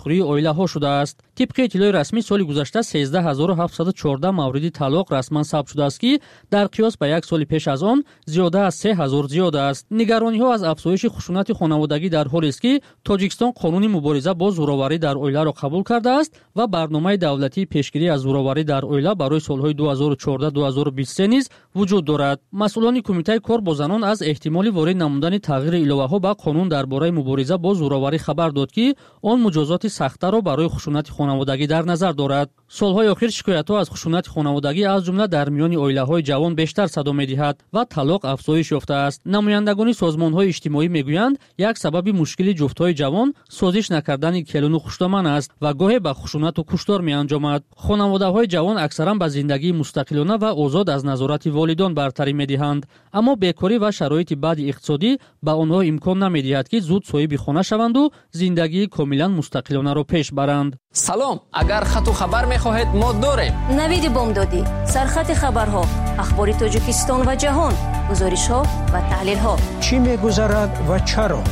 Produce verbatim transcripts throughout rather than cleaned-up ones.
пошхӯрии оилаҳо шудааст. Тибқи иттилои расмӣ, соли гузашта сездаҳ ҳазору ҳафтсаду чордаҳ мавриди талоқ расман сабт шудааст, ки дар қиёс ба як соли пеш аз он зиёда аз се ҳазор зиёд аст. Нигарониҳо аз афзоиши хушунати хонаводагӣ дар ҳолест, ки Тоҷикистон қонуни мубориза бо зӯроварӣ дар оиларо қабул кардааст ва барномаи давлатии пешгирӣ аз зӯроварӣ дар оила барои солҳои ду ҳазору чордаҳ ду ҳазору бисту се низ вуҷуд дорад. Масъулони Кумитаи кор бо занон аз эҳтимоли ворид намудани тағйири иловаҳо ба қонун дар бораи мубориза бо зӯроварӣ хабар дод, ки он муҷозоти сахттарро барои хушунати хонаводагӣ дар назар дорад. Солҳои охир шикоятҳо аз хушунати хонаводагӣ аз ҷумла дар миёни оилаҳои ҷавон бештар садо медиҳад ва талоқ афзоиш ёфтааст. Намояндагони созмонҳои иҷтимоӣ мегӯянд, як сабаби мушкили ҷуфтҳои ҷавон созиш накардани келуну хушдоман аст ва гоҳе ба хушунату куштор меанҷомад. Хонаводаҳои ҷавон аксаран ба зиндагии мустақилона ва озод аз назорати волидон бартарӣ медиҳанд, аммо бекорӣ ва шароити бади иқтисодӣ ба онҳо имкон намедиҳад, ки зуд соҳиби хона шаванду зиндагии комилан мустақилонаро пеш баранд. Салом, агар хату хабар мехоҳед, мо дорем. Навиди бомдодӣ, сархати хабарҳо, ахбори Тоҷикистон ва ҷаҳон, гузоришҳо ва таҳлилҳо. Чӣ мегузарад ва чаро?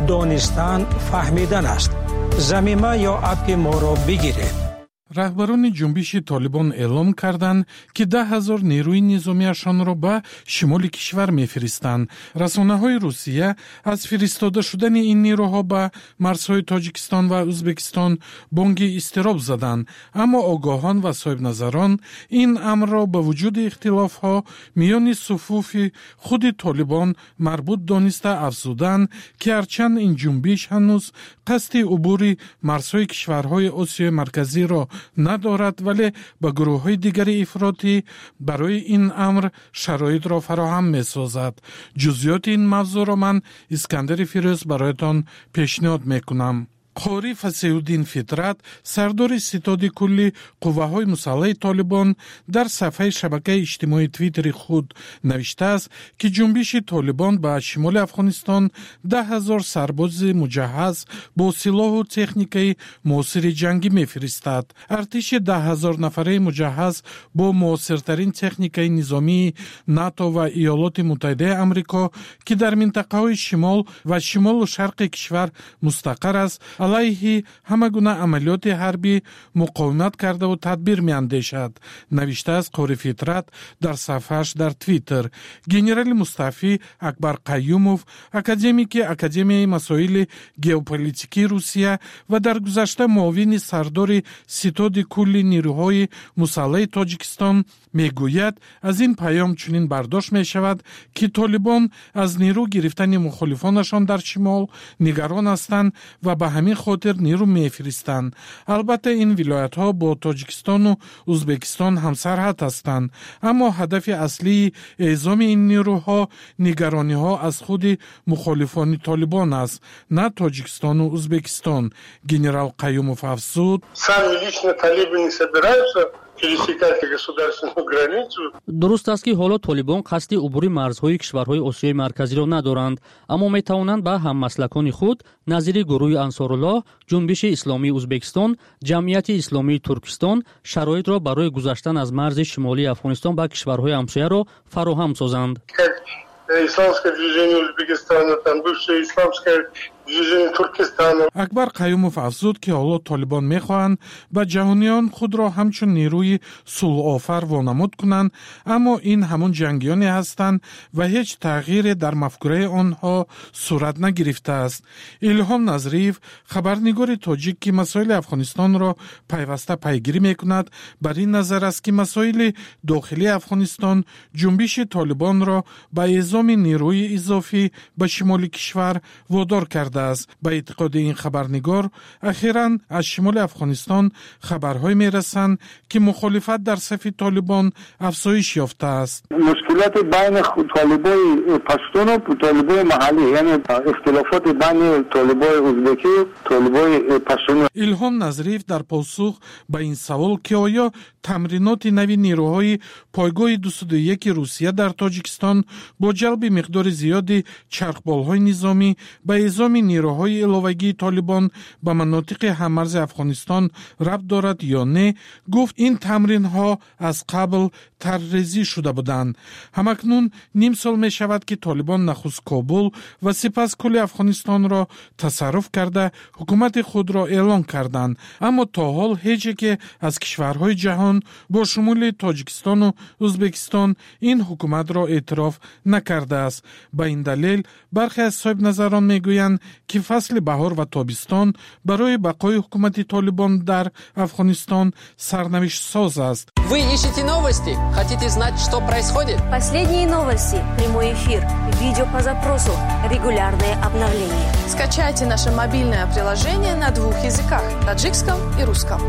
Донистан фаҳмидан аст. Замима ё аппи моро бигиред. Раҳбарони ҷунбиши Толибон эълом карданд, ки даҳ ҳазор нерӯи низомиашонро ба шимоли кишвар мефиристанд. Расонаҳои Русия аз фиристода шудани ин нерӯҳо ба марзҳои Тоҷикистон ва Ӯзбекистон бонги изтироб заданд, аммо огоҳон ва соҳибназарон ин амрро ба вуҷуди ихтилофҳо миёни суфуфи худи Толибон марбут дониста афзуданд, ки ҳарчанд ин ҷунбиш ҳанӯз қасди убури марзҳои кишварҳои Осиёи Марказиро надорад, вале ба гурӯҳҳои дигари ифротӣ барои ин амр шароитро фароҳам месозад. Ҷузъиёти ин мавзӯъро ман, Искандари Фирӯз, бароятон пешниҳод мекунам. Қори Фасеҳуддин Фитрат, сардори ситоди кулли қувваҳои мусаллаҳи Толибон, дар сафҳаи шабакаи иҷтимоии Твиттери худ навиштааст, ки ҷунбиши Толибон ба шимоли Афғонистон даҳ ҳазор сарбози муҷаҳҳаз бо силоҳу техникаи муосири ҷангӣ мефиристад. Артиши даҳ ҳазор нафараи муҷаҳҳаз бо муосиртарин техникаи низомии НАТО ва Иёлоти Муттаҳидаи Амрико, ки дар минтақаҳои шимол ва шимолу шарқи кишвар мустақар аст, алайҳи ҳама гуна амалиёти ҳарбӣ муқовимат кардаву тадбир меандешад, навиштааст Қори Фитрат дар сафҳааш дар Твиттер. Генерали мустафӣ Акбар Қаюмов, академики Академияи масоили геополитикии Русия ва дар гузашта муовини сардори ситоди кулли нерӯҳои мусаллаҳи Тоҷикистон, мегӯяд, аз ин паём чунин бардошт мешавад, ки толибон аз нерӯ гирифтани мухолифонашон дар шимол нигарон ҳастанд ва ба ҳамин хотир нерӯ мефиристанд. Албатта, ин вилоятҳо бо Тоҷикистону Ӯзбекистон ҳамсарҳад ҳастанд, аммо ҳадафи аслии эъзоми ин нерӯҳо нигарониҳо аз худи мухолифони Толибон аст, на Тоҷикистону Ӯзбекистон. Генерал Қаюмов афзуд: Сами лично талибы не собираются пересекать государственную границу. Дуруст аст, ки ҳоло толибон қасди убури марзҳои кишварҳои Осиёи Марказиро надоранд, аммо метавонанд ба ҳаммаслакони худ назири гурӯҳи Ансоруллоҳ, Ҷунбиши Исломии Ӯзбекистон, Ҷамъияти Исломии Туркистон шароитро барои гузаштан аз марзи шимолии Афғонистон ба кишварҳои ҳамсояро фароҳам созанд. Исламское движение Узбекистана, там бывшее Исламское движение Туркестана. Акбар Қаюмов афзуд, ки ҳоло толибон мехоҳанд ба ҷаҳониён худро ҳамчун нерӯи сулҳофар вонамуд кунанд, аммо ин ҳамон ҷангиёне ҳастанд ва ҳеҷ тағйире дар мафкураи онҳо сурат нагирифтааст. Илҳом Назриев, хабарнигори тоҷик, ки масоили Афғонистонро пайваста пайгирӣ мекунад, бар ин назар аст, ки масоили дохилии Афғонистон ҷунбиши толибонро ба эъзоми нерӯи изофӣ ба шимоли кишвар водор кардааст. Ба эътиқоди ин хабарнигор, ахиран аз шимоли Афғонистон хабарҳое мерасанд, ки мухолифат дар сафи толибон афзоиш ёфтааст. Мушкилоти байни толибои паштуну толибои маҳаллӣ, яъне ихтилофоти байни толибои узбекӣ, толибои паштуну. Илҳом Назриев дар посух ба ин савол, ки оё тамриноти нави нерӯҳои пойгоҳи дусаду яки Русия дар Тоҷикистон бо ҷалби миқдори зиёди чархболҳои низомӣ ба эъзоми ҷамъи нерӯҳои иловагии Толибон ба манотиқи ҳаммарзи Афғонистон рабт дорад ё не, гуфт, ин тамринҳо аз қабл тарҳрезӣ шуда буданд. Ҳамакнун ним сол мешавад, ки Толибон нахуст Кобул ва сипас кулли Афғонистонро тасарруф карда, ҳукумати худро эълон карданд. Аммо то ҳол ҳеҷ яке аз кишварҳои ҷаҳон бо шумули Тоҷикистону Ӯзбекистон ин ҳукуматро эътироф накардааст. Ба ин далел бархе аз соҳибназарон мегӯянд, ки фасли баҳор ва тобистон барои бақои ҳукумати Толибон дар Афғонистон сарнавиштсоз аст. Вы ищете новости? Хотите знать, что происходит? Последние новости, прямой эфир, видео по запросу, регулярные обновления. Скачайте наше мобильное приложение на двух языках – таджикском и русском.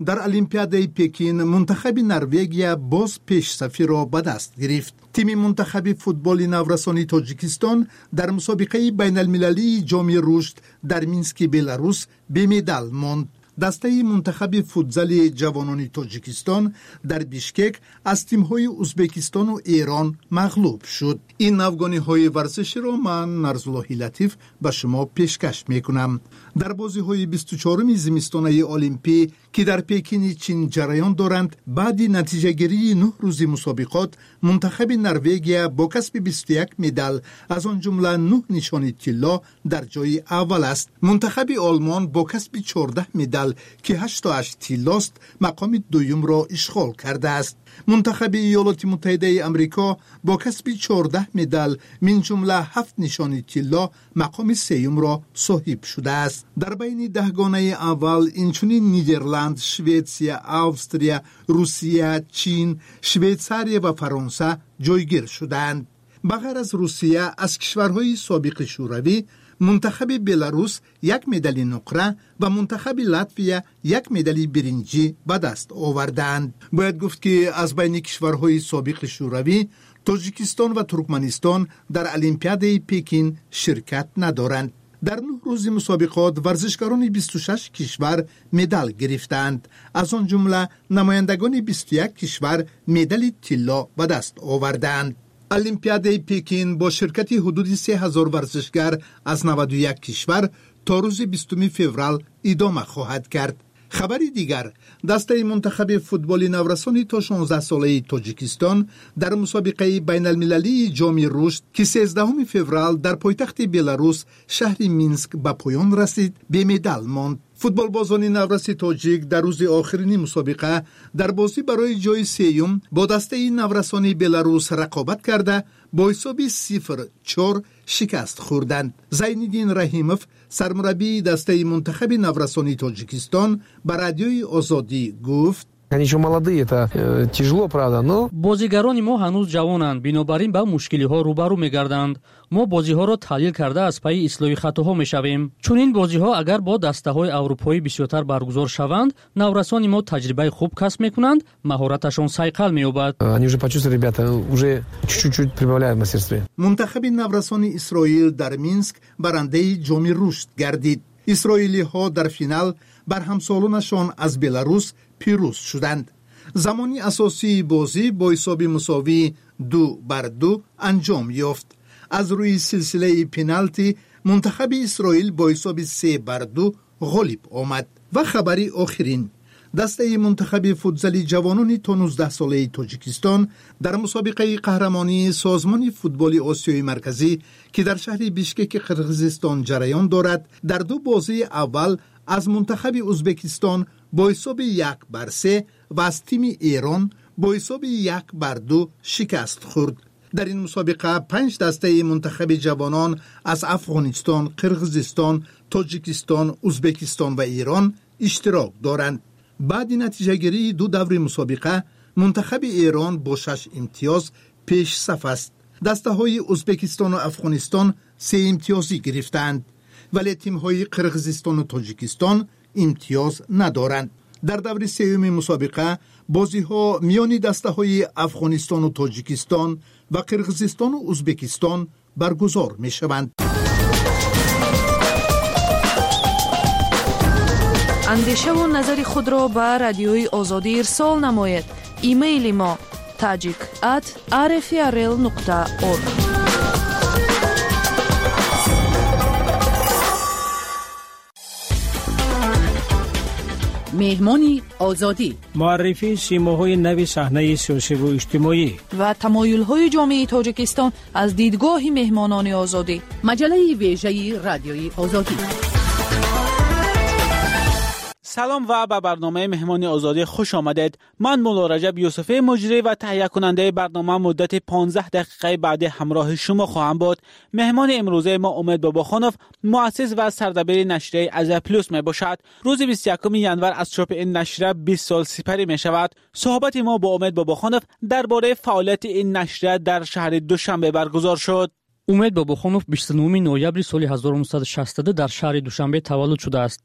Дар Олимпиадаи Пекин мунтахаби Норвегия боз пешсафиро ба даст гирифт. Тими мунтахаби футболи наврасони Тоҷикистон дар мусобиқаи байналмилалии Ҷоми рушд дар Мински Беларус бемедал монд. Дастаи мунтахаби футзали ҷавонони Тоҷикистон дар Бишкек аз тимҳои Узбекистону Эрон мағлуб шуд. Ин навгониҳои варзиширо ман, Нарзуллоҳи Латиф, ба шумо пешкаш мекунам. Дар бозиҳои бисту чоруми зимистонаи Олимпӣ, ки дар Пекини Чин ҷараён доранд, баъди натиҷагирии нӯҳ рӯзи мусобиқот мунтахаби Норвегия бо касби бисту як медал, аз он ҷумла нӯҳ нишони тилло, дар ҷои аввал аст. Мунтахаби Олмон бо касби чордаҳ медал, ки ҳашту ҳашт тиллост, мақоми дуюмро ишғол кардааст. Мунтахаби Иёлоти Муттаҳидаи Амрико бо касби чордаҳ медал, минҷумла ҳафт нишони тилло, мақоми сеюмро соҳиб шудааст. Дар байни даҳгонаи аввал инчунин Нидерланд, Шветсия, Австрия, Русия, Чин, Швейтсария ва Фаронса ҷойгир шудаанд. Ба ғайр аз Русия, аз кишварҳои собиқи Шӯравӣ мунтахаби Беларус як медали нуқра ва мунтахаби Латвия як медали биринҷӣ ба даст овардаанд. Бояд гуфт, ки аз байни кишварҳои собиқи Шӯравӣ Тоҷикистон ва Туркманистон дар Олимпиадаи Пекин ширкат надоранд. Дар нӯҳ рӯзи мусобиқот варзишгарони бисту шаш кишвар медал гирифтаанд. Аз он ҷумла намояндагони бисту як кишвар медали тилло ба даст овардаанд. Олимпиадаи Пекин бо ширкати ҳудуди се ҳазор варзишгар аз наваду як кишвар то рӯзи бистуми феврал идома хоҳад кард. Хабари дигар: дастаи мунтахаби футболи наврасони то шонздаҳсолаи Тоҷикистон дар мусобиқаи байналмилалии Ҷоми рушд, ки сездаҳуми феврал дар пойтахти Беларус, шаҳри Минск, ба поён расид, бемедал монд. Футболбозони навраси тоҷик дар рӯзи охирини мусобиқа дар бозӣ барои ҷои сеюм бо дастаи наврасони Беларус рақобат карда, бо ҳисоби сифр чор шикаст хӯрданд. Зайниддин Раҳимов, сармураббии дастаи мунтахаби наврасони Тоҷикистон, ба Радиои Озодӣ гуфт: Они еще молодые, это э, тяжело, правда, но Бозигарони мо ҳанӯз ҷавонанд, бинобар ин ба мушкилиҳо рӯбарӯ мегарданд. Мо бозиҳоро таҳлил карда, аз пайи ислоҳи хатоҳо мешавем. Чунин бозиҳо агар бо дастаҳои аврупоӣ бисёртар баргузор шаванд, наврасони мо таҷрибаи хуб касб мекунанд, маҳораташон сайқал меёбад. Они уже почувствовали, ребята, уже чуть-чуть прибавляют в мастерстве. Мунтахаби наврасони Исроил дар Минск барандаи Ҷоми рушд гардид. Исроилиҳо дар финал бар ҳамсолонашон аз Беларус пирӯз шуданд. Замони асосии бозӣ бо ҳисоби мусовии ду бар ду анҷом ёфт. Аз рӯи силсилаи пеналти мунтахаби Исроил бо ҳисоби се бар ду ғолиб омад. Ва хабари охирин: дастаи мунтахаби футзали ҷавонони то нуздаҳсолаи Тоҷикистон дар мусобиқаи қаҳрамонии Созмони футболи Осиёи Марказӣ, ки дар шаҳри Бишкеки Қирғизистон ҷараён дорад, дар ду бозии аввал аз мунтахаби Узбекистон бо ҳисоби як бар се ва аз тими Эрон бо ҳисоби як бар ду шикаст хӯрд. Дар ин мусобиқа панҷ дастаи мунтахаби ҷавонон аз Афғонистон, Қирғизистон, Тоҷикистон, Узбекистон ва Эрон иштирок доранд. Баъди натиҷагирии ду даври мусобиқа мунтахаби Эрон бо шаш имтиёз пешсаф аст. Дастаҳои Узбекистону Афғонистон сеимтиёзӣ гирифтаанд, вале тимҳои Қирғизистону Тоҷикистон имтиёз надоранд. Дар даври сеюми мусобиқа бозиҳо миёни дастаҳои Афғонистону Тоҷикистон ва Қирғизистону Узбекистон баргузор мешаванд. Андешаву назари худро ба Радиои Озодӣ ирсол намоед. Имейли мо tajik at rfrl нуқта org. Меҳмони Озодӣ. Муаррифии симоҳои нави саҳнаи сиёсиву иҷтимоӣ ва тамоюлҳои ҷомеаи Тоҷикистон аз дидгоҳи меҳмонони Озодӣ. Маҷаллаи вежаи Радиои Озодӣ. Салом ва ба барномаи Меҳмони Озодӣ хуш омадед. Ман Мулло Раҷаб Юсуфӣ, муҷрӣ ва таҳиякунандаи барнома, муддати понздаҳ дақиқаи баъдӣ ҳамроҳи шумо хоҳам буд. Меҳмони имрӯзаи мо Умед Бобохонов, муассис ва сардабири нашрияи Азия Плюс мебошад. Рӯзи бисту якуми январ аз чопи ин нашрия бист сол сипарӣ мешавад. Суҳбати мо бо Умед Бобохонов дар бораи фаъолияти ин нашрия дар шаҳри Душанбе баргузор шуд. Умед Бобохонов бисту нӯҳуми ноябри соли ҳазору нӯҳсаду шасту ду дар шаҳри Душанбе таваллуд шудааст.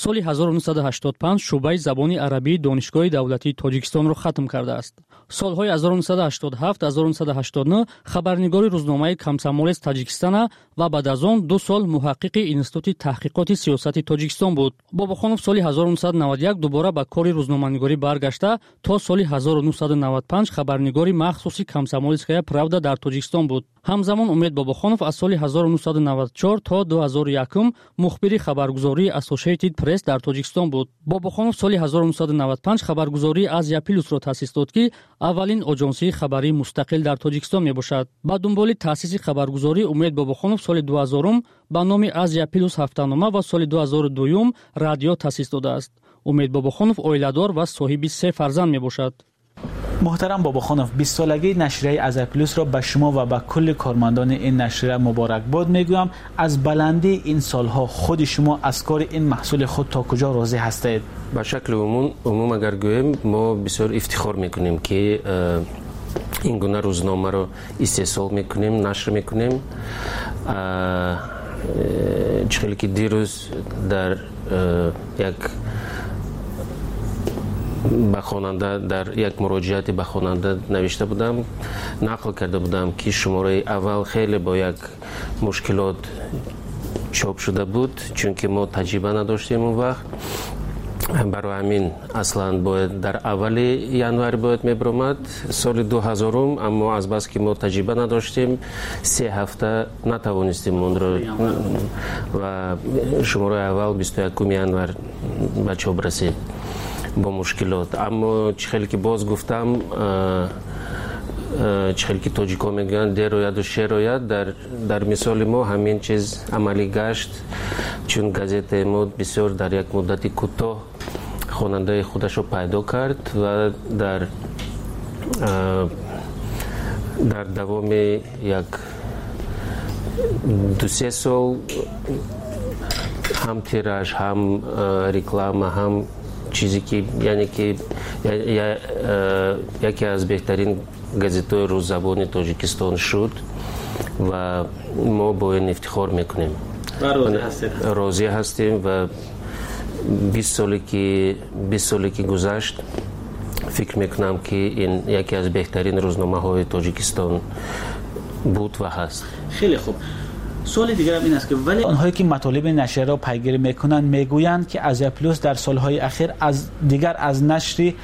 Соли ҳазору нӯҳсаду ҳаштоду панҷ шӯъбаи забони арабии Донишгоҳи давлатии Тоҷикистонро хатм кардааст. Солҳои ҳазору нӯҳсаду ҳаштоду ҳафт ҳазору нӯҳсаду ҳаштоду нӯҳ хабарнигори рӯзномаи Комсомолец Таҷикистона ва баъд аз он ду сол муҳаққиқи Институти таҳқиқоти сиёсати Тоҷикистон буд. Бобохонов соли ҳазору нӯҳсаду наваду як дубора ба кори рӯзноманигорӣ баргашта то соли ҳазору нӯҳсаду наваду панҷ хабарнигори махсуси Комсомольская правда дар Тоҷикистон буд. Ҳамзамон Умед Бобохонов аз соли ҳазору нӯҳсаду наваду чор то ду ҳазору якум мухбири хабаргузории Associated Press дар Тоҷикистон буд. Бобохонов соли ҳазору нӯҳсаду наваду панҷ хабаргузории Азия Плюсро таъсис дод, ки аввалин оҷонсии хабарии мустақил дар Тоҷикистон мебошад. Ба дунболи таъсиси хабаргузорӣ Умед Бобохонов соли дуҳазорум ба номи Азия Плюс ҳафтанома ва соли дуҳазору дуюм радио таъсис додааст. Умед Бобохонов оиладор ва соҳиби се фарзанд мебошад. Муҳтарам Бобохонов, бист солагии нашрияи Азия Плюсро ба шумо ва ба кулли кормандони ин нашрия муборакбод мегӯям. Аз баландии ин солҳо худи шумо аз кори ин маҳсули худ то куҷо розӣ ҳастед? Ба шакли умум, умум агар гӯем, мо бисёр ифтихор мекунем, ки ин гуна рӯзномаро истеҳсол мекунем, нашр мекунем. Чӣ хеле ки дирӯз дар як ба хонанда, дар як муроҷиате ба хонанда навишта будам, нақл карда будам, ки шумораи аввал хеле бо як мушкилот чоп шуда буд, чунки мо таҷриба надоштем он вақт. Барои ҳамин аслан бояд дар аввали январ бояд мебиромад соли дуҳазорум, аммо азбаски мо таҷриба надоштем, се ҳафта натавонистем онро ва шумораи аввал бисту якуми январ ба чоп расид бо мушкилот. Аммо чӣ хеле ки боз гуфтам, чӣ хеле ки тоҷикҳо мегӯянд, дер ояду шер ояд, дар, дар мисоли мо ҳамин чиз амалӣ гашт, чун газетаи мо бисёр дар як муддати кӯтоҳ хонандаи худашро пайдо кард ва дар дар давоми як ду-се сол ҳам тираж, ҳам реклама, ҳам чизе ки яъне ки яке аз беҳтарин газетҳои рӯззабони Тоҷикистон шуд ва мо бо ин ифтихор мекунем. Розӣ ҳастем ва бист соле ки бист соле ки гузашт, фикр мекунам, ки ин яке аз беҳтарин рӯзномаҳои Тоҷикистон буд ва ҳаст. Хеле хуб. Суоли дигарам ин аст, ки вале онҳое ки матолиби нашрияро пайгирӣ мекунанд мегӯянд, ки Азия Плюс дар солҳои ахир аз дигар аз нашри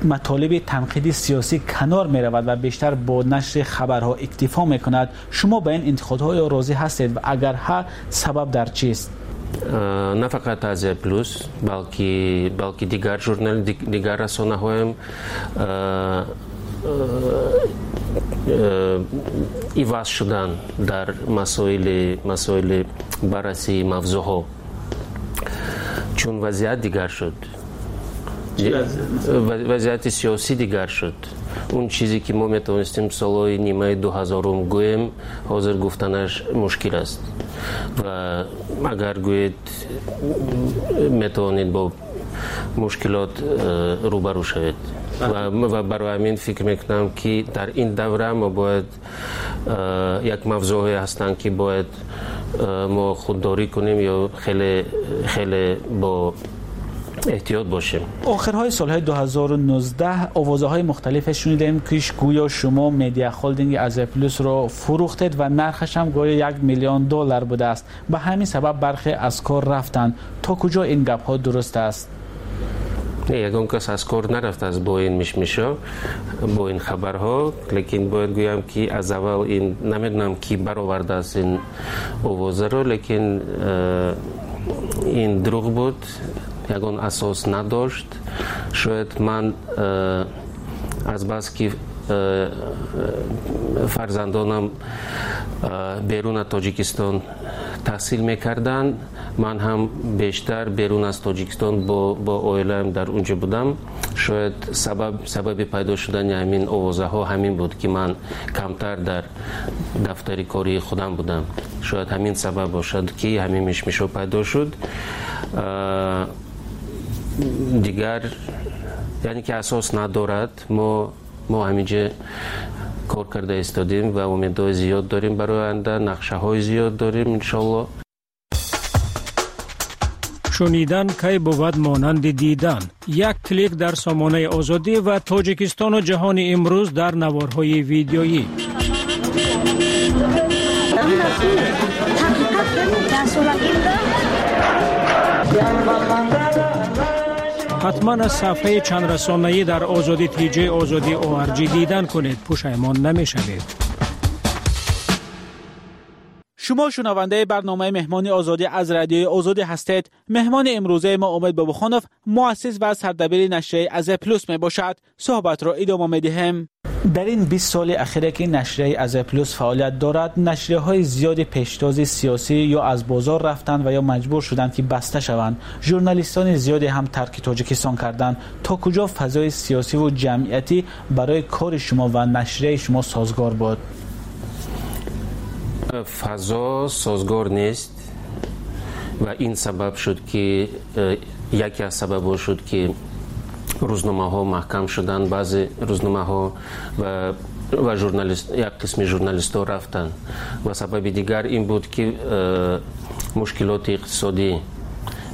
матолиби танқиди сиёсӣ канор меравад ва бештар бо нашри хабарҳо иктифо мекунад. Шумо ба ин интиқодҳо розӣ ҳастед ва агар ҳа, сабаб дар чист? На фақат Азия Плюс, балки балки дигар журнал, дигар расонаҳоям иваз шудан дар масоили масоили баррасии мавзӯъҳо, чун вазъият дигар шуд, вазъияти сиёсӣ дигар шуд. Он чизе ки мо метавонистем солҳои нимаи дуҳазорум гӯем, ҳозир гуфтанаш мушкил аст ва агар гӯед, метавонед бо мушкилот рӯбарӯ шавед. Ва барои ҳамин фикр мекунам, ки дар ин давра мо бояд як мавзӯъҳое ҳастанд, ки бояд мо худдорӣ кунем ё хеле хеле бо эҳтиёт бошем. Охирҳои солҳои ду ҳазору нуздаҳ овозаҳои мухталифе шунидем, ки гӯё шумо медиа холдинги Азия Плюсро фурӯхтед ва нархаш ҳам гӯё як миллион доллар будааст. Ба ҳамин сабаб бархе аз кор рафтанд. То куҷо ин гапҳо дуруст аст? Не, ягон кас аз кор нарафтааст бо ин мишмишо, бо ин хабарҳо, лекин бояд гӯям, ки аз аввал ин намедонам, ки баровардааст ин овозаро, лекин ин дурӯғ буд. ягон асос надошт. Шояд ман азбаски фарзандонам берун аз Тоҷикистон таҳсил мекарданд, ман ҳам бештар берун аз Тоҷикистон бо бо оилаам дар унҷо будам. Шояд сабаб сабаби пайдо шудани ҳамин овозаҳо ҳамин буд, ки ман камтар дар дафтари кории худам будам. Шояд ҳамин сабаб бошад, ки ҳамин мишмишҳо пайдо шуд. Дигар яъне ки асос надорад. Мо мо ҳаминҷа кор карда истодем ва умедҳои зиёд дорем барои оянда, нақшаҳои зиёд дорем, иншоалло. Шунидан кай бувад монанди дидан. Як клик дар сомонаи Озодӣ ва Тоҷикистону ҷаҳони имрӯз дар наворҳои видеоӣ. Ҳатман аз сафҳаи чандрасонаӣ дар Озодӣ тиҷи Озодӣ О Р Ҷ дидан кунед. Пушаймон намешавед. Шумо шунавандаи барномаи Меҳмони Озодӣ аз Радиои Озодӣ ҳастед. Меҳмони имрӯзаи мо Умед Бобохонов, муассис ва сардабири нашрияи Азия Плюс мебошад. Суҳбатро идома медиҳем. Дар ин бист соли ахире, ки нашрияи Азия Плюс фаъолият дорад, нашрияҳои зиёди пештози сиёсӣ ё аз бозор рафтанд ва ё маҷбур шуданд, ки баста шаванд. Журналистони зиёде ҳам тарки Тоҷикистон карданд. То куҷо фазои сиёсиву ҷамъиятӣ барои кори шумо ва нашрияи шумо созгор буд? Фазо созгор нест ва ин сабаб шуд, ки яке аз сабабҳо шуд, ки рӯзномаҳо маҳкам шуданд, баъзе рӯзномаҳо, ва ва журналист як қисми журналистҳо рафтанд. Ва сабаби дигар ин буд, ки мушкилоти иқтисодӣ,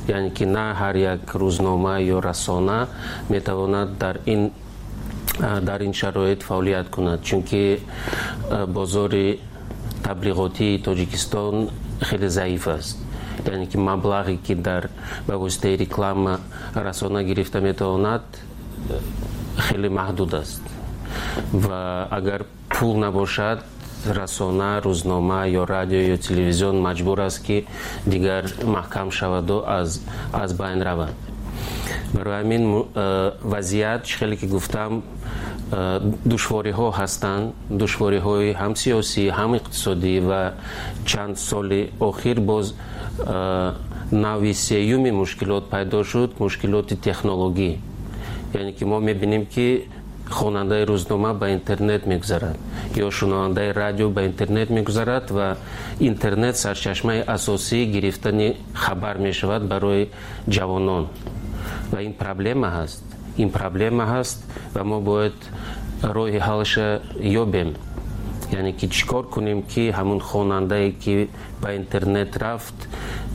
яъне ки на ҳар як рӯзнома ё расона метавонад дар ин дар ин шароит фаъолият кунад, чунки бозори таблиғотии Тоҷикистон хеле заиф аст, яъне ки маблағе, ки дар ба воситаи реклама расона гирифта метавонад, хеле маҳдуд аст. Ва агар пул набошад, расона, рӯзнома ё радио ё телевизион маҷбур аст, ки дигар маҳкам шаваду аз аз байн равад. Барои ҳамин вазъият, чӣ хеле ки гуфтам, душвориҳо ҳастанд, душвориҳои ҳам сиёсӣ, ҳам иқтисодӣ. Ва чанд соли охир боз нави сеюми мушкилот пайдо шуд, мушкилоти технологӣ, яъне ки мо мебинем, ки хонандаи рӯзнома ба интернет мегузарад ё шунавандаи радио ба интернет мегузарад ва интернет сарчашмаи асосии гирифтани хабар мешавад барои ҷавонон. Ва ин проблема ҳаст, ин проблема ҳаст ва мо бояд роҳи ҳалша ёбем, яъне ки чӣ кор кунем, ки ҳамун хонандае, ки ба интернет рафт,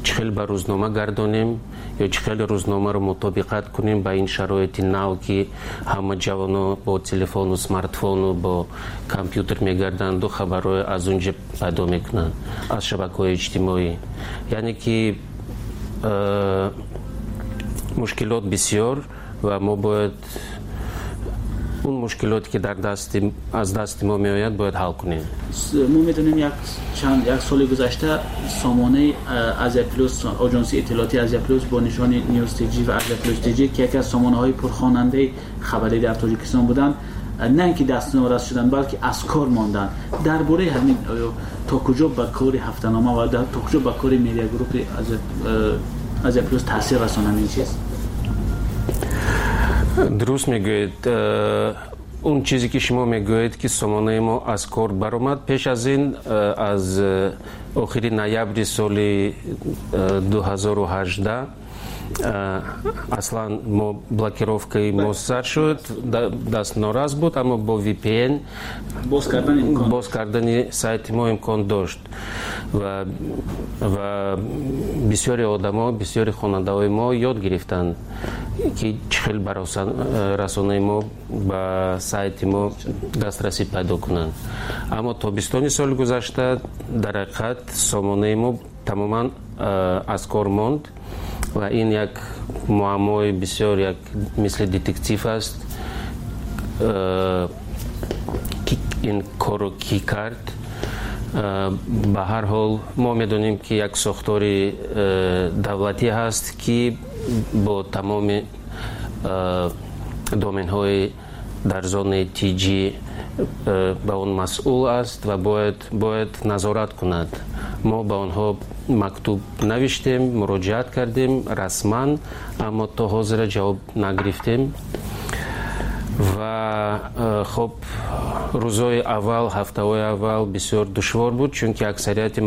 чӣ хел ба рӯзнома гардонем ё чӣ хел рӯзномаро мутобиқат кунем ба ин шароити нав, ки ҳама ҷавоно бо телефону смартфону бо компютер мегарданду хабарҳои аз он ҷо пайдо мекунанд, аз шабакаҳои иҷтимоӣ. Яъне ки э, мушкилот бисёр ва мо бояд он мушкилоте, ки дар дасти аз дасти мо меояд, бояд ҳал кунем. Мо медонем, як чанд як соли гузашта сомонаи Азия Плюс, оҷонсии иттилоотии Азия Плюс бо нишони News T J ва Азия Плюс T J, ки яке аз сомонаҳои пурхонандаи хабарӣ дар Тоҷикистон буданд, на ин ки дастнорас шуданд, балки аз кор монданд. Дар бораи ҳамин то куҷо ба кори ҳафтанома ва то куҷо ба кори медиагруппи Азия Плюс таъсир расонад ин чиз? Дуруст мегӯед. Он чизе, ки шумо мегӯед, ки сомонаи мо аз кор баромад, пеш аз ин, аз охири ноябри соли ду ҳазору ҳаждаҳ аслан мо блокировкаи мо сар шуд, дастнорас буд, аммо бо V P N боз кардани сайти мо имкон дошт. ва ва бисёри одамо, бисёри хонандаҳои мо ёд гирифтанд, ки чӣ хел ба расонаи мо, ба сайти мо дастрасӣ пайдо кунанд. Аммо тобистони соли гузашта дар ҳақиқат сомонаи мо тамоман аз кор монд ва ин як муаммои бисёр, як мисли детектив аст, ки ин корро кӣ кард. Ба ҳар ҳол мо медонем, ки як сохтори давлатӣ ҳаст, ки бо тамоми доменҳои дар зонаи Т Ҷ ба он масъул аст ва бояд бояд назорат кунад. Мо ба онҳо мактуб навиштем, муроҷиат кардем расман, аммо то ҳозира ҷавоб нагирифтем. Ва хоб, рӯзҳои аввал, ҳафтаҳои аввал бисёр душвор буд, чунки аксарияти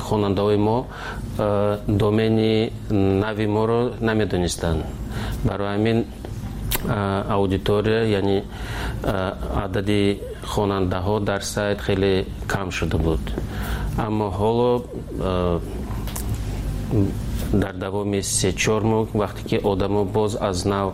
хонандаҳои мо домени нави моро намедонистанд. Барои ҳамин аудитория, яъне адади хонандаҳо дар сайт хеле кам шуда буд. Аммо ҳоло дар давоми се чор моҳ, вақте ки одамо боз аз нав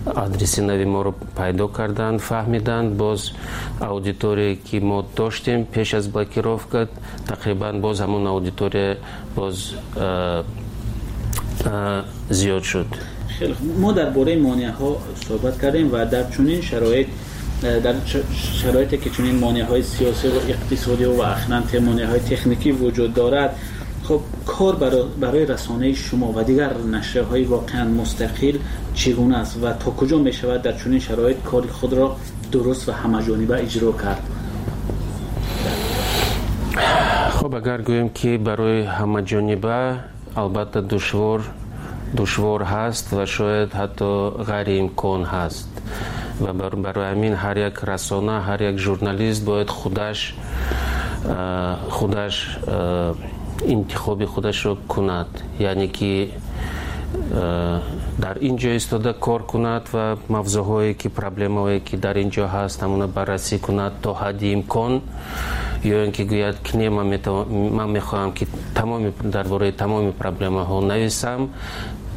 адреси нави моро пайдо карданд, фаҳмиданд, боз аудиторие, ки мо доштем пеш аз блокировка, тақрибан боз ҳамон аудитория боз зиёд шуд. Хеле мо дар бораи монеаҳо суҳбат кардем ва дар чунин шароит, дар шароите ки чунин монеаҳои сиёсӣ ва иқтисодӣ ва ахиран монеаҳои техникӣ вуҷуд дорад, хуб, кор барои расонаи шумо ва дигар нашрияҳои воқеан мустақил чӣ гуна аст ва то куҷо мешавад дар чунин шароит кори худро дуруст ва ҳамаҷониба иҷро кард? Хуб, агар гӯем, ки барои ҳамаҷониба, албатта душвор душвор ҳаст ва шояд ҳатто ғайриимкон ҳаст. Ва барои ҳамин ҳар як расона, ҳар як журналист бояд худаш худаш интихоби худашро кунад, яъне ки дар ин ҷо истода кор кунад ва мавзӯъҳое ки, проблемаҳое ки дар ин ҷо ҳаст, ҳамона баррасӣ кунад то ҳадди имкон, ё ин ки гӯяд, ки не, ман мехоҳам, ки тамоми дар бораи тамоми проблемаҳо нависам,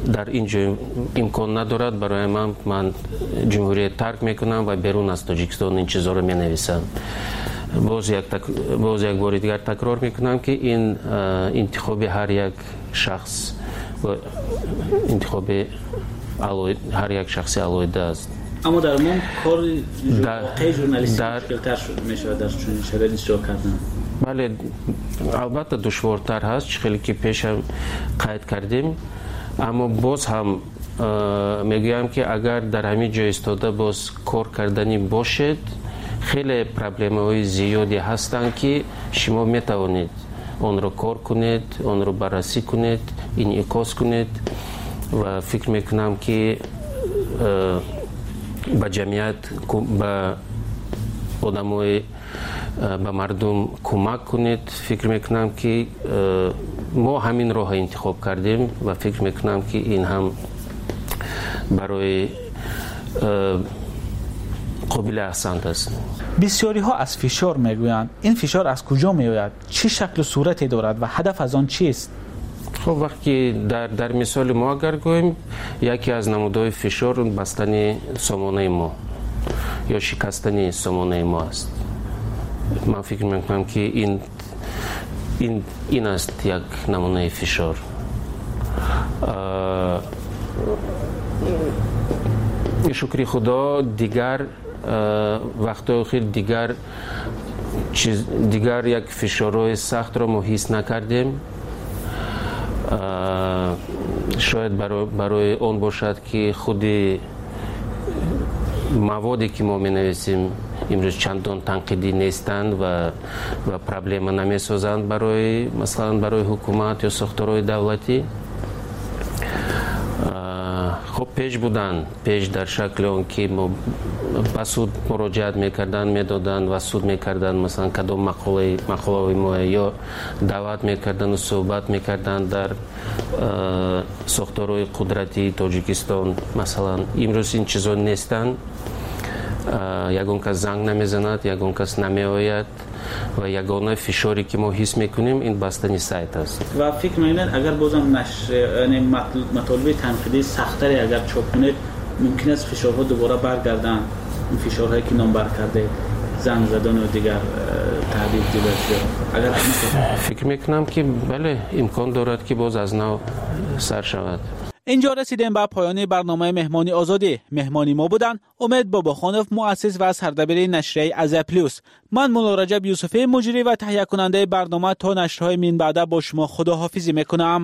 дар ин ҷо имкон надорад барои ман, ман ҷумҳурия тарк мекунам ва берун аз Тоҷикистон ин чизҳоро менависам. Боз як боз як бори дигар такрор мекунам, ки ин интихоби ҳар як шахс, интихоби ҳар як шахси алоҳида аст. Аммо дар умум кори воқеи журналистӣ мушкилтар мешавад дар чунин шароит иҷро кардан. Бале, албатта душвортар ҳаст, чӣ хеле ки пешам қайд кардем. Аммо боз ҳам мегӯям, ки агар дар ҳамин ҷо истода боз кор карданӣ бошед, хеле проблемаҳои зиёде ҳастанд, ки шумо метавонед онро кор кунед, онро баррасӣ кунед, инъикос кунед. Ва фикр мекунам, ки ба ҷамъият, ба одамои, ба мардум кӯмак кунед. Фикр мекунам, ки мо ҳамин роҳро интихоб кардем ва фикр мекунам, ки ин ҳам барои қобили аҳсант аст. Бисёриҳо аз фишор мегӯянд. Ин фишор аз куҷо меояд, чӣ шаклу сурате дорад ва ҳадаф аз он чист? Хуб, вақте дар дар мисоли мо агар гӯем, яке аз намудҳои фишор бастани сомонаи мо ё шикастани сомонаи мо аст. Ман фикр мекунам, ки ин ин ин аст як намунаи фишор. Шукри Худо, дигар вақтҳои охир дигар чиз, дигар як фишорҳои сахтро мо ҳис накардем. Шояд барои он бошад, ки худи маводе, ки мо менависем, имрӯз чандон танқидӣ нестанд ва ва проблема намесозанд барои, масалан, барои ҳукумат ё сохторҳои давлатӣ. Хуб, пеш буданд, пеш дар шакли он ки мо ба суд муроҷиат мекарданд, медоданд ва суд мекарданд, масалан, кадом мақолаи мақолаҳои мо, ё даъват мекарданду суҳбат мекарданд дар сохторҳои қудратии Тоҷикистон, масалан. Имрӯз ин чизо нестанд. Ягон кас занг намезанад, ягон кас намеояд ва ягона фишоре, ки мо ҳис мекунем, ин бастани сайт аст. Ва фикр мекунед, агар бозам нашр, яъне матолиби танқидии сахттаре агар чоп кунед, мумкин аст фишорҳо дубора баргарданд, ин фишорҳое, ки номбар кардед, занг задану дигар таҳдид, дигар агар? Фикр мекунам, ки бале, имкон дорад, ки боз аз нав сар шавад. Инҷо расидем ба поёни барномаи Меҳмони Озодӣ. Меҳмони мо буданд Умед Бобохонов, муассис ва сардабири нашрияи Азия Плюс. Ман Мулло Раҷаб Юсуфӣ, муҷрӣ ва таҳиякунандаи барнома, то нашрҳои минбаъда бо шумо худоҳофизӣ мекунам.